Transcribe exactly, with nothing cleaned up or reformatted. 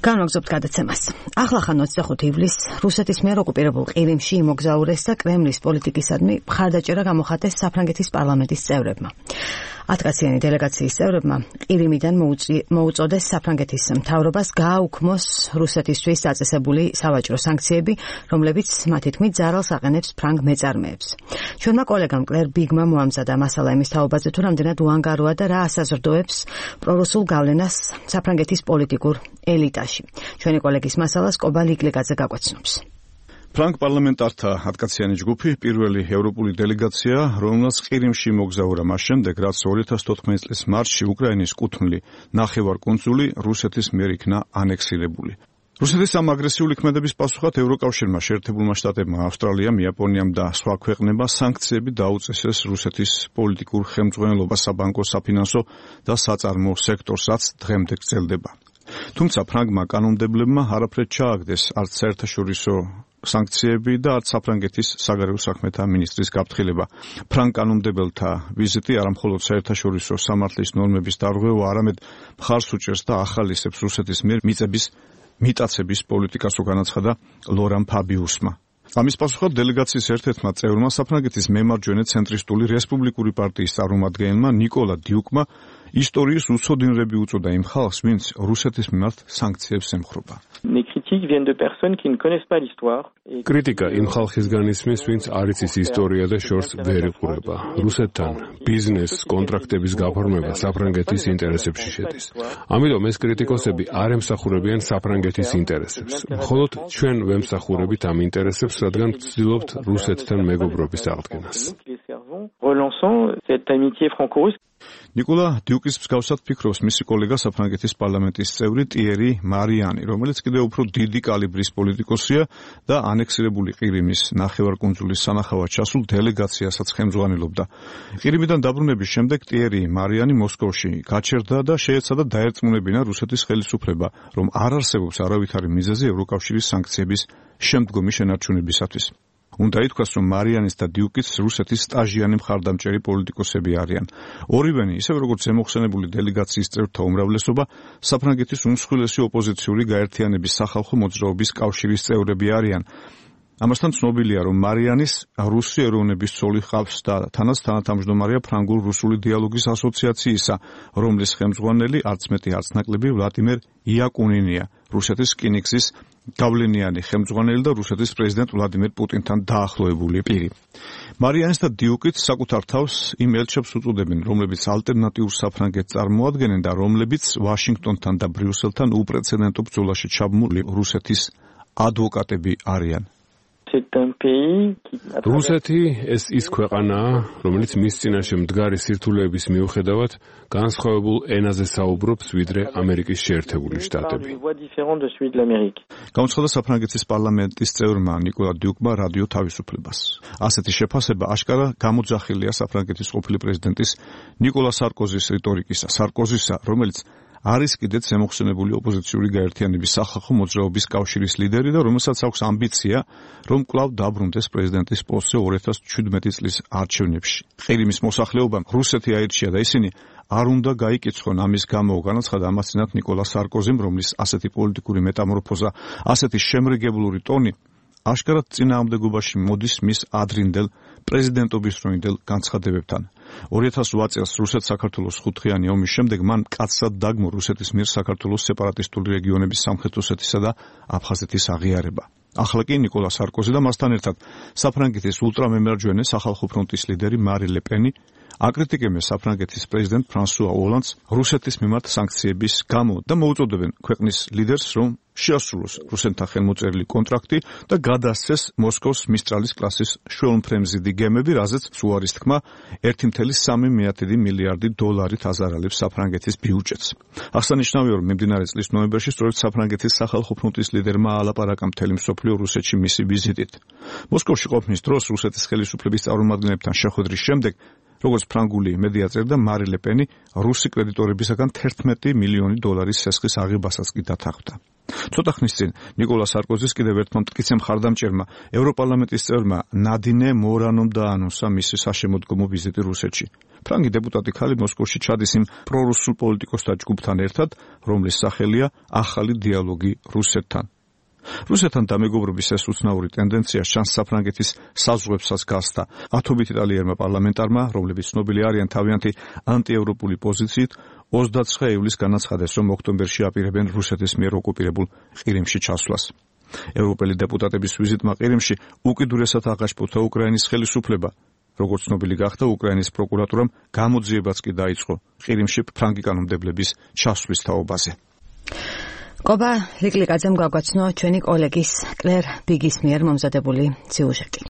განვაგრძობთ გადაცემას. ახლახან ოცდახუთი ივლისს რუსეთის მიერ ოკუპირებულ ყირიმში იმოგზაურეს და კრემლის პოლიტიკისადმი მხარდაჭერა გამოხატეს საფრანგეთის პარლამენტის წევრებმა. ათკაციანი დელეგაციის წევრებმა ყირიმიდან მოუწოდეს საფრანგეთის მთავრობას გააუქმოს რუსეთისთვის დაწესებული სავაჭრო სანქციები, რომლებიც მათი თქმით ზარალს აყენებს ფრანგ მეწარმეებს. ჩვენმა კოლეგამ კლერ ბიგმა მოამზადა მასალა იმის თაობაზე, თუ რამდენად უანგაროა და რა ასაზრდოებს პრორუსულ გავლენას საფრანგეთის პოლიტიკურ ელიტაში. ჩვენი კოლეგის მასალას კობალ იკლიკაძე გაგვაცნობს. ფრანგ პარლამენტართა ათკაციანი ჯგუფი პირველი ევროპული დელეგაცია, რომელსაც ყირიმში მოგზაურა მას შემდეგ, რაც ორი ათას თოთხმეტი წლის მარტში უკრაინის კუთვნილი ნახევარკუნძული რუსეთის მიერ იქნა ანექსირებული. რუსეთის ამ აგრესიული ქმედების პასუხად ევროკავშირმა, შეერთებულმა შტატებმა, ავსტრალიამ, იაპონიამ და სხვა ქვეყნებმა სანქციები დაუწესეს რუსეთის პოლიტიკურ ხელმძღვანელობას, საბანკო, საფინანსო და საწარმოო სექტორსაც დღემდე გრძელდება. თუმცა ფრანგმა კანონმდებლებმა არაფრად ჩააგდეს არც საერთაშორისო სანქციები და არც საფრანგეთის საგარეო საქმეთა მინისტრის გაფრთხილება. ფრანგ კანონმდებელთა ვიზიტი არამხოლოდ საერთაშორისო სამართლის ნორმების დარღვევა, არამედ მხარს უჭერს და ახალისებს რუსეთის მიერ მიწების მიტაცების პოლიტიკას, განაცხადა ლორან ფაბიუსმა. ამის პასუხად დელეგაციის ერთ-ერთმა წევრმა საფრანგეთის მემარჯვენე ცენტრისტული რესპუბლიკური პარტიის წარმომადგენელმა ნიკოლა დიუკმა ისტორიის უცოდინრები უწოდა იმ ხალხს, ვინც რუსეთის მიმართ სანქციებს ემხრობა. კრიტიკა იმ ხალხისგან ისმის, ვინც არ იცის ისტორია და შორს ვერ იყურება. რუსეთთან ბიზნეს კონტრაქტების გაფორმება საფრანგეთის ინტერესებში შედის. ამიტომ ეს კრიტიკოსები არ ემსახურებიან საფრანგეთის ინტერესებს. მხოლოდ ჩვენ ვემსახურებით ამ ინტერესებს, რადგან ვცდილობთ რუსეთთან მეგობრობის აღდგენას. ნიკოლა დიუკის მსგავსად ფიქრობს მისი კოლეგა საფრანგეთის პარლამენტის წევრი ტიერი მარიანი, რომელიც კიდევ უფრო დიდი კალიბრის პოლიტიკოსია და ანექსირებული ყირიმის ნახევარკუნძულის სანახავად ჩასულ დელეგაციასაც ხელმძღვანელობდა. ყირიმიდან დაბრუნების შემდეგ ტიერი მარიანი მოსკოვში გაჩერდა და შეეცადა დაერწმუნებინა რუსეთის ხელისუფლება, რომ არ არსებობს არავითარი მიზეზი ევროკავშირის სანქციების შემდგომი შენარჩუნებისათვის. უნდა ითქვას, რომ მარიანის და დიუკის რუსეთის სტაჟიანი მხარდამჭერი პოლიტიკოსები არიან. ორივენი, ისევე როგორც ზემოხსენებული დელეგაციის წევრთა უმრავლესობა, საფრანგეთის უმსხვილესი ოპოზიციური გაერთიანების სახალხო მოძრაობის კავშირის წევრები არიან. ამასთან ცნობილია, რომ მარიანის რუსი ეროვნების ცოლი ჰყავს და თანაც თანათავმჯდომარეა ფრანგულ-რუსული დიალოგის ასოციაციისა, რომლის ხელმძღვანელი არც მეტი არც ნაკლები ვლადიმერ იაკუნინია, რუსეთის რკინიგზის გავლენიანი ხელმძღვანელი და რუსეთის პრეზიდენტ ვლადიმერ პუტინთან დაახლოებული პირი. მარიანის და დიუკიც საკუთარ თავს იმ ელჩებს უწოდებენ, რომლებიც ალტერნატიურ საფრანგეთს წარმოადგენენ და რომლებიც ვაშინგტონთან და ბრიუსელთან უპრეცედენტო ბრძოლაში ჩაბმული რუსეთის ადვოკატები არიან. რუსეთი ეს ის ქვეყანაა, რომელიც მის წინაშე მდგარი სირთულეების მიუხედავად განსხვავებულ ენაზე საუბრობს, ვიდრე ამერიკის შეერთებული შტატები. გამოცხადა საფრანგეთის პარლამენტის წევრმა ნიკოლა დიუკმა რადიო თავისუფლებას. ასეთი შეფასება აშკარა გამოძახილია საფრანგეთის ყოფილი პრეზიდენტის ნიკოლა სარკოზის რიტორიკისა, სარკოზისა, რომელიც არის კიდეც ზემოხსენებული ოპოზიციური გაერთიანების სახალხო მოძრაობის კავშირის ლიდერი და რომელსაც აქვს ამბიცია, რომ კვლავ დაბრუნდეს პრეზიდენტის პოსტზე ორი ათას ჩვიდმეტი წლის არჩევნებში. ყირიმის მოსახლეობამ რუსეთი აირჩია და ისინი არ უნდა გაიკიცხონ ამის გამო, განაცხადა ამასთანავე ნიკოლა სარკოზიმ, რომლის ასეთი პოლიტიკური მეტამორფოზა, ასეთი შემრიგებლური ტონი აშკარად წინააღმდეგობაში მოდის მის ადრინდელ პრეზიდენტობისდროინდელ განცხადებებთან. ორი ათას ოთხ წელს რუსეთ-საქართველოს ხუთხიანი ომის შემდეგ მან მკაცრად დაგმო რუსეთის მიერ საქართველოს სეპარატისტული რეგიონების სამხრეთ ოსეთისა და აფხაზეთის აღიარება. ახლა კი ნიკოლა სარკოზი და მასთან ერთად საფრანგეთის ულტრამემარჯვენე სახალხო ფრონტის ლიდერი მარი ლე პენი აკრიტიკებენ საფრანგეთის პრეზიდენტ ფრანსუა ოლანდს რუსეთის მიმართ სანქციების გამო და მოუწოდებენ ქვეყნის ლიდერს, რომ შეასრულოს რუსეთთან ხელმოწერილი კონტრაქტი და გადასცეს მოსკოვს მისტრალის კლასის შველმფრენზიდი გემები, რაზეც უარის თქმა ერთი კoma სამი მილიარდი დოლარით აზარალებს საფრანგეთის ბიუჯეტს. აღსანიშნავია, რომ მიმდინარე წლის ნოემბერში სწორედ საფრანგეთის სახალხო ფრონტის ლიდერმა ალაპარაკა მთელი მსოფლიო რუსეთში მისი ვიზიტით. მოსკოვში ყოფნის დროს რუსეთის ხელისუფლების წარმომადგენლებთან შეხვედრის შემდეგ, როგორც ფრანგული მედია წერდა, მარი ლე პენი რუსი კრედიტორებისაგან თერთმეტი მილიონი დოლარის სესხის აღებასაც კი დათანხმდა. ცოტა ხნის წინ ნიკოლა სარკოზის კიდევ ერთმა მტკიცე მხარდამჭერმა ევროპარლამენტის წევრმა ნადინე მორანომ დაანონსა მისი საშემოდგომო ვიზიტი რუსეთში. ფრანგი დეპუტატი ქალი მოსკოვში ჩადის იმ პრორუსულ პოლიტიკოსთა ჯგუფთან ერთად, რომლის სახელია ახალი დიალოგი რუსეთთან. რუსეთთან დამეგობრობის ეს უცნაური ტენდენცია შანს საფრანგეთის საზღვრებსაც გასცდა ათობით იტალიერმა პარლამენტარმა, რომლებიც ცნობილი არიან თავიანთი ანტიევროპული პოზიციით, ოცდაცხრა ივლისს განაცხადეს, რომ ოქტომბერში აპირებენ რუსეთის მიერ ოკუპირებულ ყირიმში ჩასვლას. ევროპელი დეპუტატების ვიზიტმა ყირიმში უკიდურესად აღაშფოთა უკრაინის ხელისუფლება. როგორც ცნობილი გახდა, უკრაინის პროკურატურამ გამოძიებაც კი დაიწყო ყირიმში ფრანგი კანონმდებლების ჩასვლის თაობაზე. კობა ლიკლიკაძემ გაგვაცნო ჩვენი კოლეგის კლერ ბიგის მიერ მომზადებული სიუჟეტი.